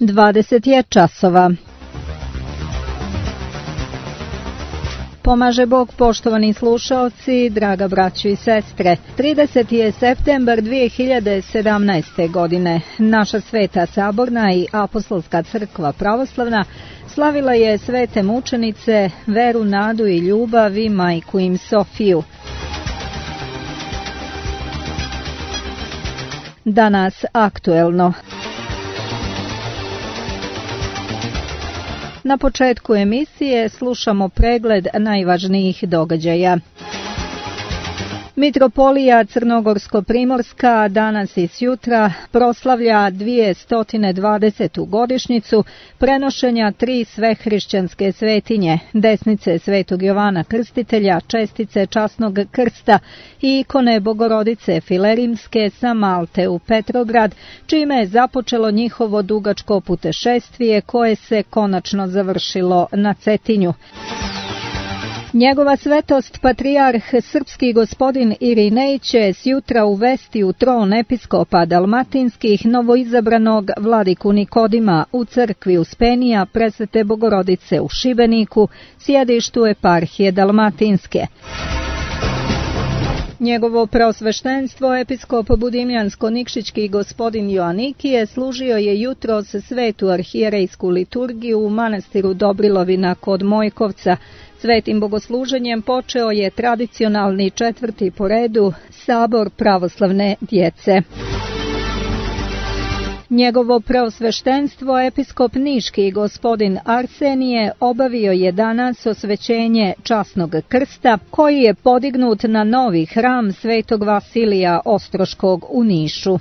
20 je časova. Pomaže Bog, poštovani slušaoci, draga braćo i sestre. 30. je septembar 2017. godine. Naša Sveta Saborna i Apostolska crkva pravoslavna slavila je svete mučenice, veru, nadu i ljubav i majku im Sofiju. Danas aktuelno. Na početku emisije slušamo pregled najvažnijih događaja. Mitropolija Crnogorsko-primorska danas i sutra proslavlja 220. godišnjicu prenošenja 3 svehrišćanske svetinje, desnice Svetog Jovana Krstitelja, čestice časnog krsta i ikone Bogorodice Filerimske sa Malte u Petrograd, čime je započelo njihovo dugačko putešestvije koje se konačno završilo na Cetinju. Njegova svetost patrijarh srpski gospodin Irinej će sjutra uvesti u tron episkopa dalmatinskih novoizabranog vladiku Nikodima u crkvi Uspenija Presvete Bogorodice u Šibeniku, sjedištu eparhije dalmatinske. Njegovo preosveštenstvo, episkop budimljansko-nikšićki gospodin Joanikije, služio je jutros svetu arhijerejsku liturgiju u manastiru Dobrilovina kod Mojkovca. Svetim bogosluženjem počeo je tradicionalni 4. po redu sabor pravoslavne djece. Njegovo preosveštenstvo, episkop niški gospodin Arsenije, obavio je danas osvećenje časnog krsta, koji je podignut na novi hram Svetog Vasilija Ostroškog u Nišu.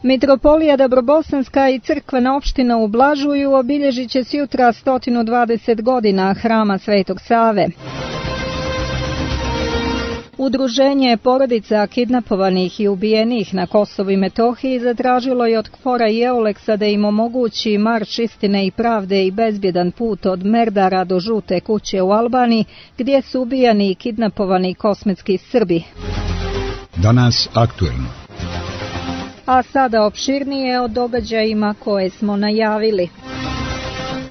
Mitropolija Dobrobosanska i crkvena opština u Blažuju obilježit će sjutra 120 godina hrama Svetog Save. Udruženje porodica kidnapovanih i ubijenih na Kosovu i Metohiji zatražilo je od KFOR-a i EULEX-a da im omogući marš istine i pravde i bezbjedan put od Merdara do Žute kuće u Albaniji, gdje su ubijani i kidnapovani kosmetski Srbi. Danas aktuelno. A sada opširnije o događajima koje smo najavili.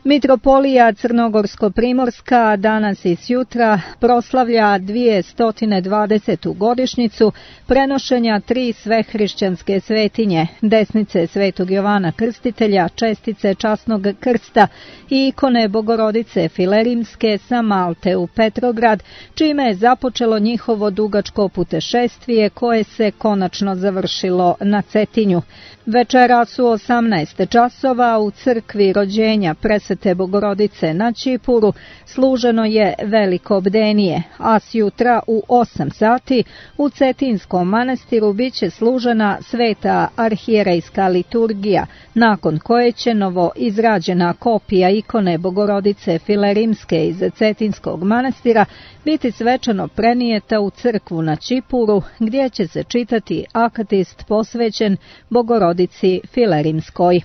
Mitropolija Crnogorsko-primorska danas i sutra proslavlja 220. godišnjicu prenošenja 3 svehrišćanske svetinje, desnice Svetog Jovana Krstitelja, čestice časnog krsta i ikone Bogorodice Filerimske sa Malte u Petrograd, čime je započelo njihovo dugačko putešestvije koje se konačno završilo na Cetinju. Večeras u 18 časova u crkvi rođenja Presvete Bogorodice na Čipuru služeno je veliko bdenije, a sjutra u 8 sati u Cetinskom manastiru biće služena sveta arhijerejska liturgija, nakon koje će novo izrađena kopija ikone Bogorodice Filerimske iz Cetinskog manastira biti svečano prenijeta u crkvu na Čipuru, gdje će se čitati akatist posvećen Bogorodici Filerimskoj.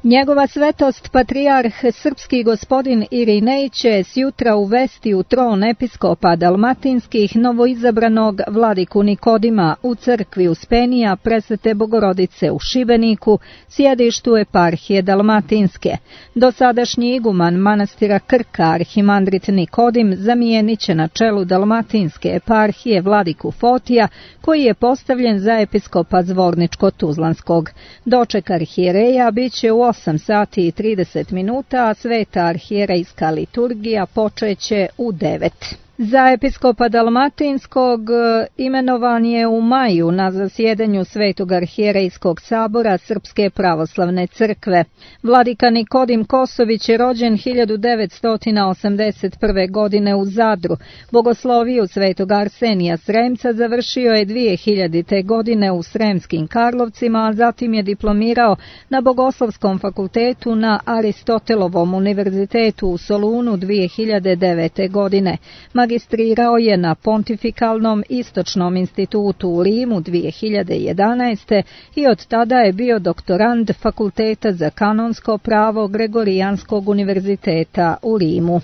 Njegova svetost patrijarh srpski gospodin Irinej će sjutra uvesti u tron episkopa dalmatinskih novoizabranog vladiku Nikodima u crkvi Uspenija Presvete Bogorodice u Šibeniku, sjedištu eparhije dalmatinske. Dosadašnji iguman manastira Krka arhimandrit Nikodim zamijenit će na čelu dalmatinske eparhije vladiku Fotija, koji je postavljen za episkopa Zvorničko-Tuzlanskog. Doček arhijereja bit će u 8 sati i 30 minuta, a sveta arhijerejska liturgija počeće u 9. Za episkopa dalmatinskog imenovan je u maju na zasjedanju Svetog arhijerejskog sabora Srpske pravoslavne crkve. Vladika Nikodim Kosović je rođen 1981. godine u Zadru. Bogosloviju Svetog Arsenija Sremca završio je 2000. godine u Sremskim Karlovcima, a zatim je diplomirao na Bogoslovskom fakultetu na Aristotelovom univerzitetu u Solunu 2009. godine. Magistrirao je na Pontifikalnom istočnom institutu u Rimu 2011. i od tada je bio doktorand Fakulteta za kanonsko pravo Gregorijanskog univerziteta u Rimu.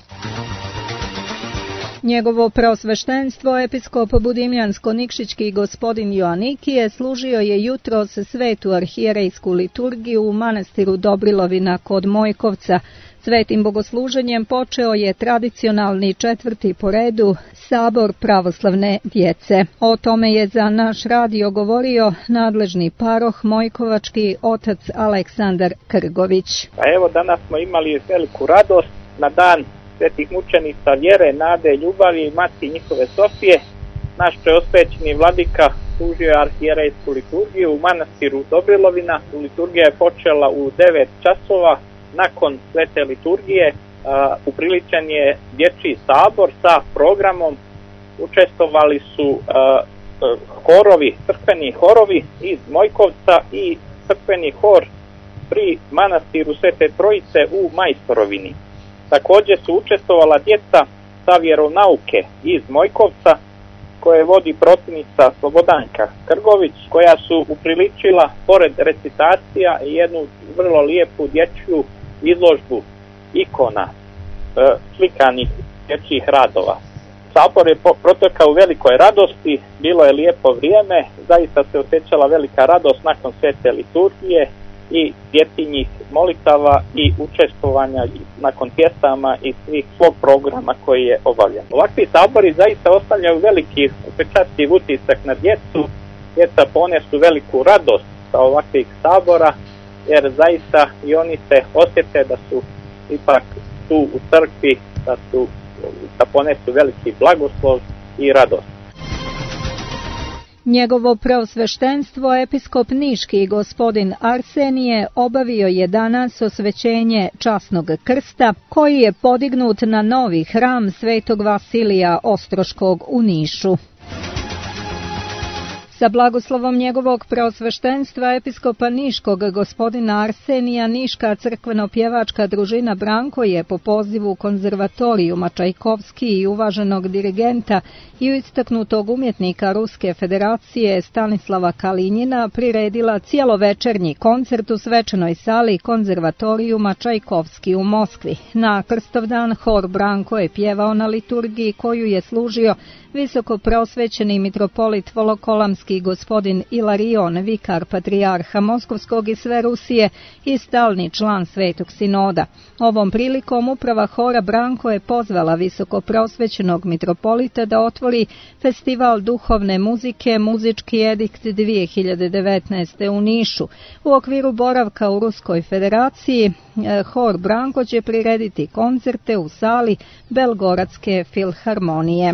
Njegovo preosveštenstvo, episkop Budimljansko-Nikšićki gospodin Joanikije, služio je jutros svetu arhijerejsku liturgiju u manastiru Dobrilovina kod Mojkovca. Svetim bogosluženjem počeo je tradicionalni 4. po redu sabor pravoslavne djece. O tome je za naš radio govorio nadležni paroh Mojkovački otac Aleksandar Krgović. Evo, danas smo imali veliku radost na dan svetih mučenica vjere, nade, ljubavi i Mati njihove Sofije. Naš preosvećeni vladika služio je arhijerejsku liturgiju u manastiru Dobrilovina. Liturgija je počela u 9 časova. Nakon svete liturgije upriličen je dječji sabor sa programom. Učestvovali su crkveni horovi iz Mojkovca i crkveni hor pri manastiru Svete Trojice u Majstorovini. Također su učestvovala djeca sa vjeronauke iz Mojkovca, koje vodi protivnica Slobodanka Krgović, koja su upriličila pored recitacija jednu vrlo lijepu dječju izložbu ikona slikanih dječjih radova. Sabor je protekao u velikoj radosti, bilo je lijepo vrijeme, zaista se osjećala velika radost nakon svete liturgije i djetinjih molitava i učestvovanja nakon pjesama i svih svog programa koji je obavljen. Ovakvi sabori zaista ostavljaju veliki upečatljiv utisak na djecu. Djeca ponesu veliku radost sa ovakvih sabora, jer zaista i oni se osjete da su ipak tu u crkvi, da ponesu veliki blagoslov i radost. Njegovo preosveštenstvo, episkop Niški gospodin Arsenije, obavio je danas osvećenje časnog krsta, koji je podignut na novi hram Svetog Vasilija Ostroškog u Nišu. Sa blagoslovom njegovog preosveštenstva episkopa Niškog gospodina Arsenija, Niška crkveno-pjevačka družina Branko je po pozivu konzervatorijuma Čajkovski i uvaženog dirigenta i istaknutog umjetnika Ruske federacije Stanislava Kalinjina priredila cijelovečernji koncert u svečanoj sali konzervatorijuma Čajkovski u Moskvi. Na Krstovdan hor Branko je pjevao na liturgiji koju je služio visoko preosvećeni mitropolit Volokolamski gospodin Ilarion, vikar patrijarha Moskovskog i sve Rusije i stalni član Svetog sinoda. Ovom prilikom uprava hora Branko je pozvala visoko preosvećenog mitropolita da otvori festival duhovne muzike Muzički edikt 2019. u Nišu. U okviru boravka u Ruskoj federaciji hor Branko će prirediti koncerte u sali Belgoradske filharmonije.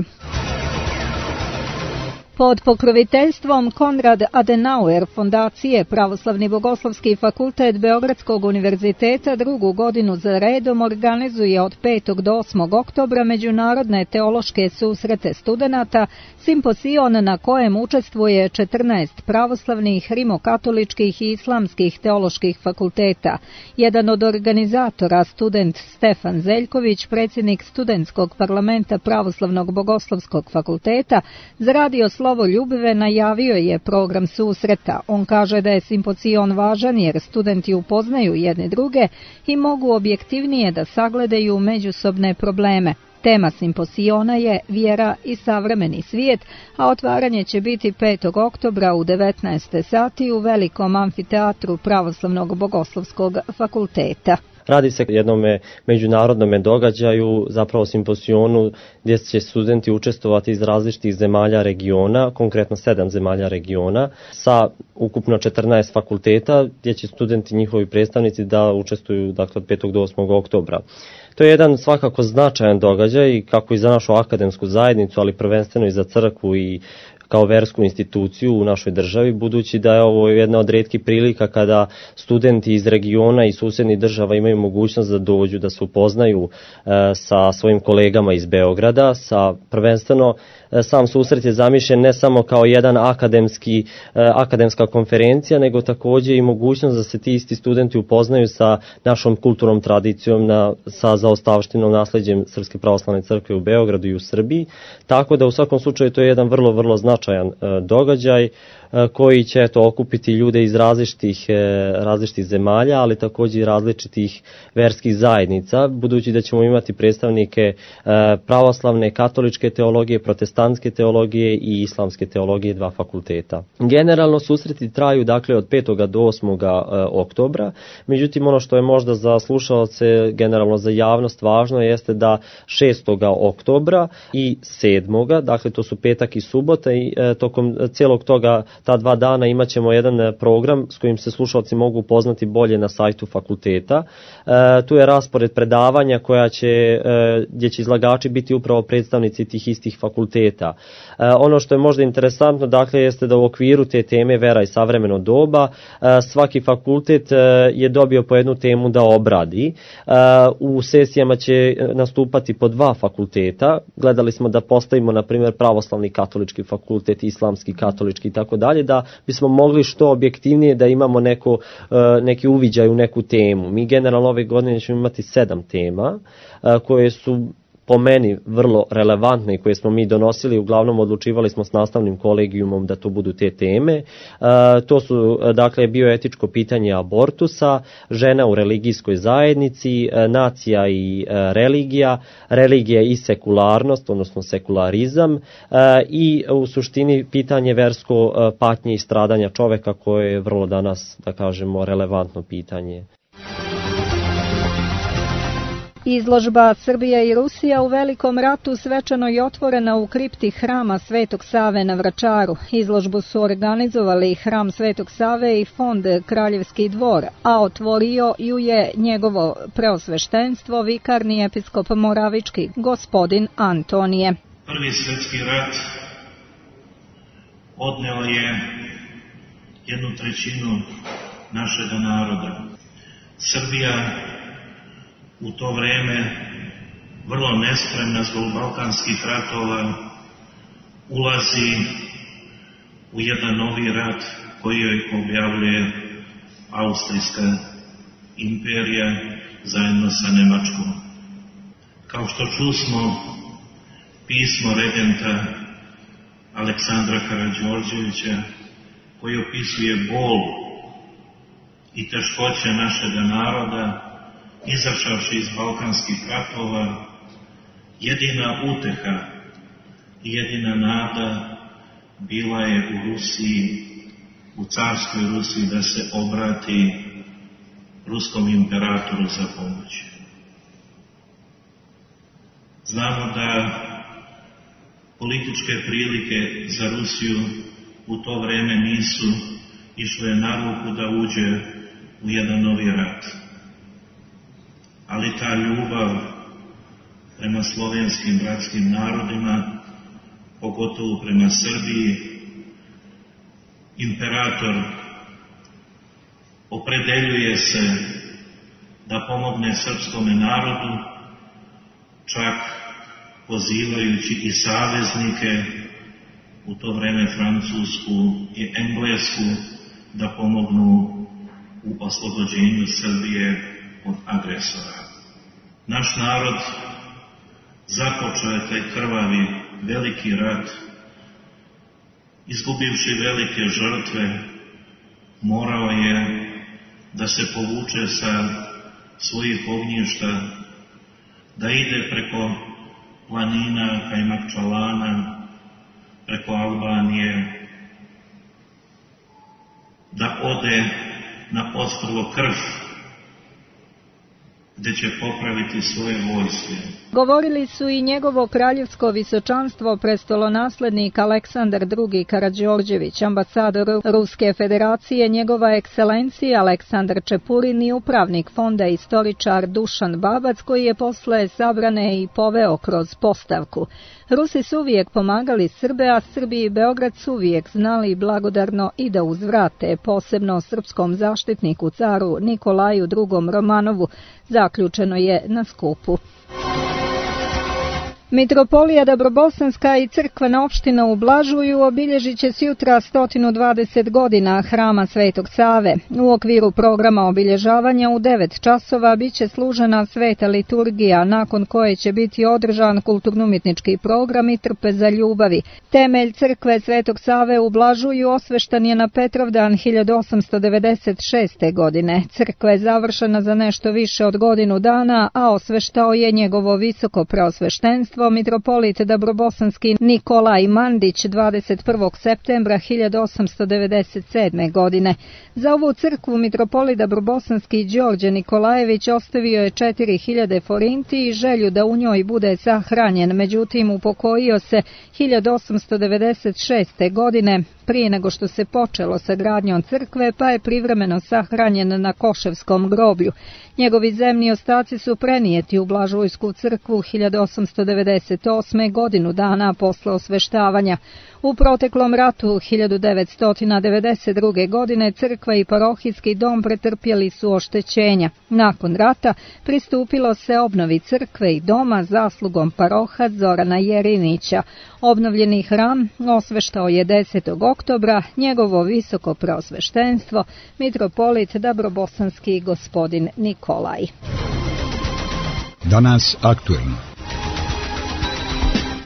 Pod pokroviteljstvom Konrad Adenauer fondacije Pravoslavni bogoslovski fakultet Beogradskog univerziteta drugu godinu za redom organizuje od 5. do 8. oktobra međunarodne teološke susrete studenata, simposion na kojem učestvuje 14 pravoslavnih, rimokatoličkih i islamskih teoloških fakulteta. Jedan od organizatora, student Stefan Zeljković, predsjednik studentskog parlamenta Pravoslavnog bogoslovskog fakulteta, za radio Slovo Ljubive najavio je program susreta. On kaže da je simposion važan jer studenti upoznaju jedne druge i mogu objektivnije da sagledaju međusobne probleme. Tema simposiona je Vjera i savremeni svijet, a otvaranje će biti 5. oktobra u 19. sati u velikom amfiteatru Pravoslavnog bogoslovskog fakulteta. Radi se o jednom međunarodnom događaju, zapravo simposionu, gdje će studenti učestvovati iz različitih zemalja regiona, konkretno 7 zemalja regiona, sa ukupno 14 fakulteta, gdje će studenti, njihovi predstavnici, da učestvuju od 5. do 8. oktobra. To je jedan svakako značajan događaj, kako i za našu akademsku zajednicu, ali prvenstveno i za crkvu i kao versku instituciju u našoj državi, budući da je ovo jedna od rijetkih prilika kada studenti iz regiona i susjednih država imaju mogućnost da dođu, da se upoznaju sa svojim kolegama iz Beograda. Prvenstveno sam susret je zamišljen ne samo kao jedan akademska konferencija, nego također i mogućnost da se ti isti studenti upoznaju sa našom kulturnom tradicijom, sa zaostavštinom, nasleđem Srpske pravoslavne crkve u Beogradu i u Srbiji. Tako da u svakom slučaju to je jedan vrlo, vrlo značajan događaj koji će okupiti ljude iz različitih zemalja, ali također i različitih verskih zajednica, budući da ćemo imati predstavnike pravoslavne, katoličke teologije, protestantske teologije i islamske teologije, 2 fakulteta. Generalno susreti traju dakle od 5. do 8. oktobra, međutim ono što je možda za slušaoce, generalno za javnost važno jeste da 6. oktobra i 7. dakle to su petak i subota i tokom cijelog toga ta 2 dana imat ćemo jedan program s kojim se slušalci mogu upoznati bolje na sajtu fakulteta. Tu je raspored predavanja gdje će izlagači biti upravo predstavnici tih istih fakulteta. Ono što je možda interesantno dakle jeste da u okviru te teme vera i savremeno doba svaki fakultet je dobio po jednu temu da obradi. U sesijama će nastupati po 2 fakulteta. Gledali smo da postavimo na primjer pravoslavni katolički fakultet, islamski katolički i tako dalje, da bismo mogli što objektivnije da imamo neki uviđaj u neku temu. Mi generalno ove godine ćemo imati 7 tema koje su po meni vrlo relevantne i koje smo mi donosili, uglavnom odlučivali smo s nastavnim kolegijumom da to budu te teme. To su dakle bioetičko pitanje abortusa, žena u religijskoj zajednici, nacija i religija i sekularnost, odnosno sekularizam i u suštini pitanje versko patnje i stradanja čoveka koje je vrlo danas, da kažemo, relevantno pitanje. Izložba Srbija i Rusija u Velikom ratu svečano je otvorena u kripti Hrama Svetog Save na Vračaru. Izložbu su organizovali Hram Svetog Save i Fond Kraljevski dvor, a otvorio ju je njegovo preosveštenstvo, vikarni episkop Moravički, gospodin Antonije. Prvi svjetski rat odneo je 1/3 našega naroda. Srbija u to vreme, vrlo nespremna zbog balkanskih ratova, ulazi u jedan novi rat koji joj objavljuje Austrijska imperija zajedno sa Nemačkom. Kao što čusmo, pismo regenta Aleksandra Karađorđevića, koji opisuje bol i teškoće našega naroda, izašavši iz balkanskih ratova, jedina uteha i jedina nada bila je u Rusiji, u carskoj Rusiji, da se obrati ruskom imperatoru za pomoć. Znamo da političke prilike za Rusiju u to vreme nisu išle na ruku da uđe u jedan novi rat. Ali ta ljubav prema slovenskim bratskim narodima, pogotovo prema Srbiji, imperator opredeljuje se da pomogne srpskome narodu, čak pozivajući i saveznike, u to vreme Francusku i Englesku, da pomognu u oslobođenju Srbije od agresora. Naš narod započeo je taj krvavi veliki rat, izgubivši velike žrtve, morao je da se povuče sa svojih ognjišta, da ide preko planina Kajmakčalana, preko Albanije, da ode na ostrvo Krf, gdje će popraviti svoje vojske. Govorili su i njegovo kraljevsko visočanstvo prestolonaslednik Aleksandar II. Karađorđević, ambasador Ruske federacije, njegova ekscelencija Aleksandar Čepurin i upravnik fonda istoričar Dušan Babac, koji je posle sabrane i poveo kroz postavku. Rusi su uvijek pomagali Srbe, a Srbi i Beograd su uvijek znali blagodarno i da uzvrate, posebno srpskom zaštitniku caru Nikolaju II. Romanovu, zaključeno je na skupu. Mitropolija Dabrobosanska i crkvena opština u Blažuju obilježit će sutra 120 godina hrama Svetog Save. U okviru programa obilježavanja u 9 časova biće služena sveta liturgija, nakon koje će biti održan kulturno-umjetnički program i trpeza ljubavi. Temelj crkve Svetog Save u Blažuju osveštan je na Petrovdan 1896. godine. Crkva je završena za nešto više od godinu dana, a osveštao je njegovo visoko preosveštenstvo mitropolit Dabrobosanski Nikolaj Mandić 21. septembra 1897. godine. Za ovu crkvu mitropolit Dabrobosanski Đorđe Nikolajević ostavio je 4000 forinti i želju da u njoj bude sahranjen, međutim upokojio se 1896. godine prije nego što se počelo sa gradnjom crkve, pa je privremeno sahranjen na Koševskom groblju. Njegovi zemni ostaci su prenijeti u Blažujsku crkvu 1898. godinu dana posle osveštavanja. U proteklom ratu 1992. godine crkva i parohijski dom pretrpjeli su oštećenja. Nakon rata pristupilo se obnovi crkve i doma zaslugom paroha Zorana Jerinića. Obnovljeni hram osveštao je 10. oktobra njegovo visoko preosveštenstvo mitropolit Dabrobosanski gospodin Nikolaj. Danas aktuelno.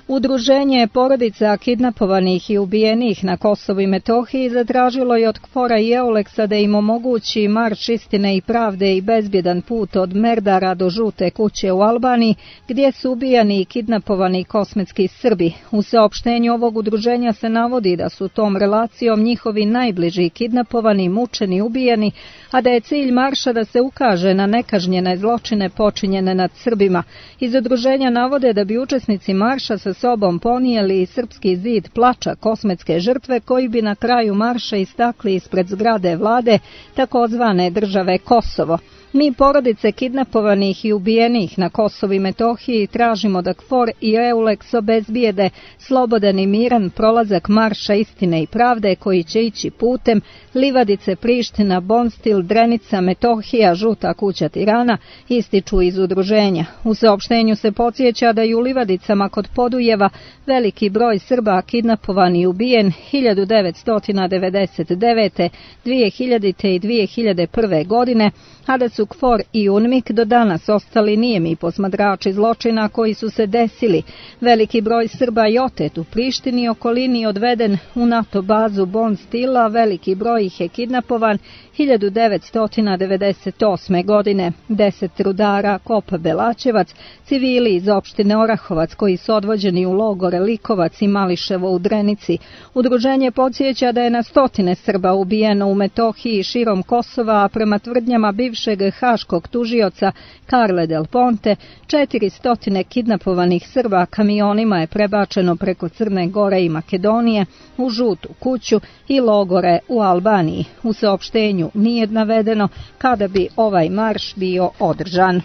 Udruženje porodica kidnapovanih i ubijenih na Kosovu i Metohiji zatražilo je od KFOR-a i EULEX-a da im omogući marš istine i pravde i bezbjedan put od Merdara do Žute kuće u Albaniji, gdje su ubijani i kidnapovani kosmetski Srbi. U saopštenju ovog udruženja se navodi da su tom relacijom njihovi najbliži kidnapovani, mučeni, ubijeni, a da je cilj marša da se ukaže na nekažnjene zločine počinjene nad Srbima. Iz udruženja navode da bi učesnici marša sa sobom ponijeli i srpski zid plača kosmetske žrtve koji bi na kraju marša istakli ispred zgrade vlade takozvane države Kosovo. Mi, porodice kidnapovanih i ubijenih na Kosovu i Metohiji, tražimo da KFOR i EULEX obezbijede slobodan i miran prolazak marša istine i pravde koji će ići putem Livadice, Priština, Bonstil, Drenica, Metohija, Žuta kuća Tirana, ističu iz udruženja. U saopštenju se podsjeća da je u Livadicama kod Podujeva veliki broj Srba kidnapovan i ubijen 1999., 2000. i 2001. godine, a da su KFOR i UNMIK do danas ostali nijemi posmatrači zločina koji su se desili. Veliki broj Srba je otet u Prištini i okolini odveden u NATO bazu Bonstila, veliki broj ih je kidnapovan 1998. godine. 10 rudara Kopa Belačevac, civili iz opštine Orahovac koji su odvođeni u logore Likovac i Mališevo u Drenici. Udruženje podsjeća da je na stotine Srba ubijeno u Metohiji i širom Kosova, a prema tvrdnjama bivšeg haškog tužioca Carle Del Ponte, 400 kidnapovanih Srba kamionima je prebačeno preko Crne Gore i Makedonije u Žutu kuću i logore u Albaniji. U saopštenju nije navedeno kada bi ovaj marš bio održan.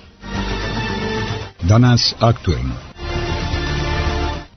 Danas aktuelno.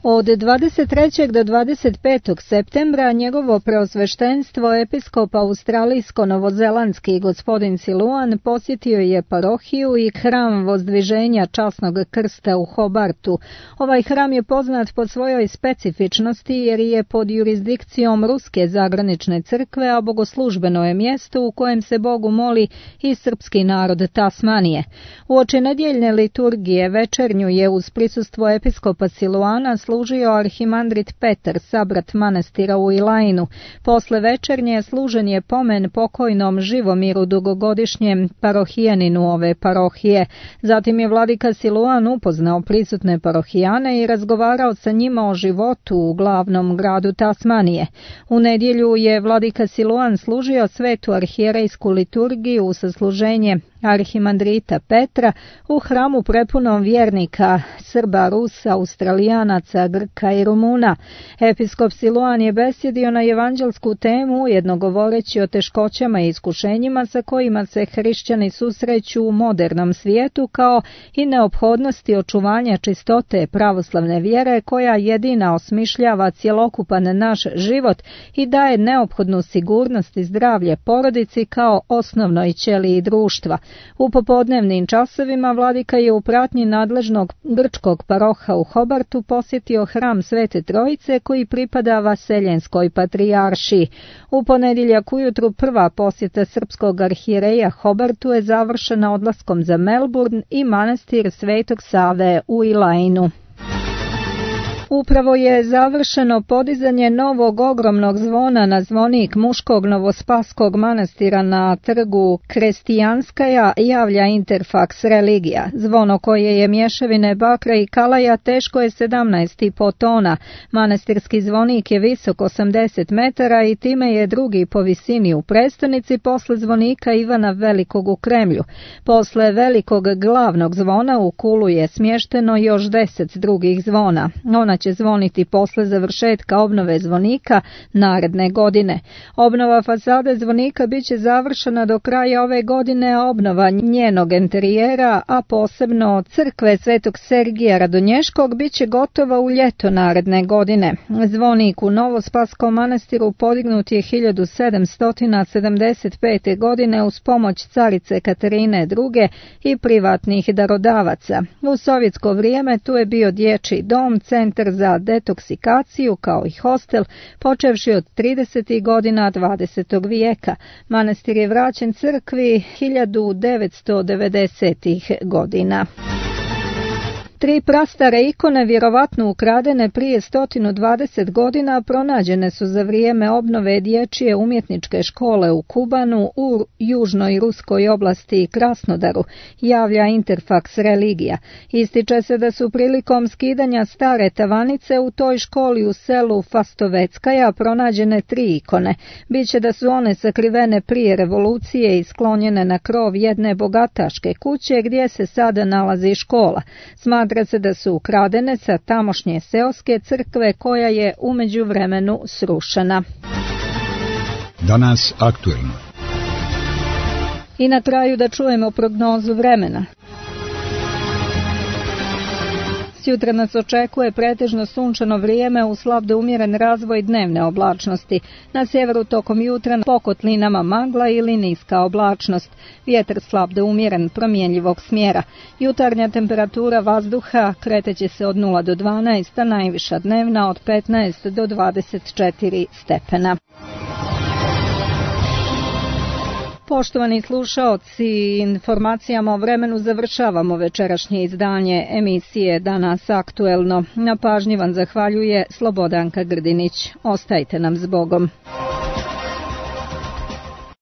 Od 23. do 25. septembra njegovo preosveštenstvo episkop australijsko-novozelandski gospodin Siluan posjetio je parohiju i hram Vozdviženja Časnog krsta u Hobartu. Ovaj hram je poznat po svojoj specifičnosti jer je pod jurisdikcijom Ruske zagranične crkve, a bogoslužbeno je mjesto u kojem se Bogu moli i srpski narod Tasmanije. Uoči nedjeljne liturgije večernju je uz prisustvo episkopa Siluana služio arhimandrit Petar, sabrat manastira u Ilajinu. Posle večernje služen je pomen pokojnom Živomiru, dugogodišnjem parohijaninu ove parohije. Zatim je vladika Siluan upoznao prisutne parohijane i razgovarao sa njima o životu u glavnom gradu Tasmanije. U nedjelju je vladika Siluan služio svetu arhijerejsku liturgiju u sasluženje arhimandrita Petra u hramu prepunom vjernika, Srba, Rusa, Australijanaca Bugarska, Grka i Rumuna. Episkop Siluan je besjedio na evanđelsku temu, ujedno govoreći o teškoćama i iskušenjima sa kojima se hrišćani susreću u modernom svijetu, kao i neophodnosti očuvanja čistote pravoslavne vjere koja jedina osmišljava cjelokupan naš život i daje neophodnu sigurnost i zdravlje porodici kao osnovnoj ćeliji društva. U popodnevnim časovima vladika je u pratnji nadležnog grčkog paroha u Hobartu posjetio hram Svete Trojice koji pripada Vaseljenskoj patrijaršiji. U ponedjeljak ujutru prva posjeta srpskog arhijereja Hobartu je završena odlaskom za Melbourne i manastir Svetog Save u Ilainu. Upravo je završeno podizanje novog ogromnog zvona na zvonik muškog novospaskog manastira na trgu Krestijanskaja, javlja Interfax Religija. Zvono koje je mješavine bakra i kalaja teško je 17,5 tona. Manastirski zvonik je visok 80 metara i time je drugi po visini u prestonici posle zvonika Ivana Velikog u Kremlju. Posle velikog glavnog zvona u kulu je smješteno još 10 drugih zvona. Ona će zvoniti posle završetka obnove zvonika naredne godine. Obnova fasade zvonika biće završena do kraja ove godine, a obnova njenog interijera, a posebno crkve Svetog Sergija Radonješkog, biće gotova u ljeto naredne godine. Zvonik u Novospaskom manastiru podignut je 1775. godine uz pomoć carice Katarine II. I privatnih darodavaca. U sovjetsko vrijeme tu je bio dječji dom, centar za detoksikaciju kao i hostel, počevši od 30. godina 20. vijeka. Manastir je vraćen crkvi 1990. godina. 3 prastare ikone, vjerovatno ukradene prije 120 godina, pronađene su za vrijeme obnove dječje umjetničke škole u Kubanu u južnoj ruskoj oblasti Krasnodaru, javlja Interfax Religija. Ističe se da su prilikom skidanja stare tavanice u toj školi u selu Fastoveckaja pronađene 3 ikone. Biće da su one sakrivene prije revolucije i sklonjene na krov jedne bogataške kuće gdje se sada nalazi škola. Smatra se da su ukradene sa tamošnje seoske crkve koja je u međuvremenu srušena. Danas aktuelno. I na kraju da čujemo prognozu vremena. Sutra nas očekuje pretežno sunčano vrijeme uz slab do umjeren razvoj dnevne oblačnosti. Na sjeveru tokom jutra po kotlinama magla ili niska oblačnost. Vjetar slab do umjeren promjenjivog smjera. Jutarnja temperatura vazduha kreteće se od 0 do 12, a najviša dnevna od 15 do 24 stepena. Poštovani slušaoci, informacijama o vremenu završavamo večerašnje izdanje emisije Danas aktuelno. Na pažnji vam zahvaljuje Slobodanka Grdinić. Ostajte nam s Bogom.